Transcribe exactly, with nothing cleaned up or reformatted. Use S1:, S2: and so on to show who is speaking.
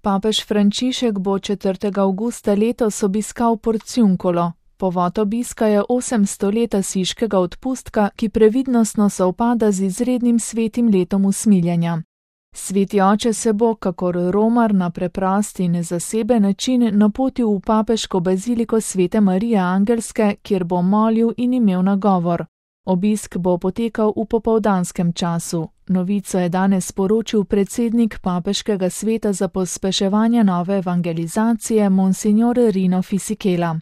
S1: Papež Frančišek bo četrtega avgusta letos obiskal Porciuncolo. Povod obiska je osemsto let asiškega odpustka, ki previdnostno sovpada z izrednim svetim letom usmiljenja. Sveti oče se bo, kakor romar, na preprost in zaseben način napotil v papeško baziliko Svete Marije Angelske, kjer bo molil in imel nagovor. Obisk bo potekal v popoldanskem času. Novico je danes sporočil predsednik papeškega sveta za pospeševanje nove evangelizacije, monsignor Rino Fisichella.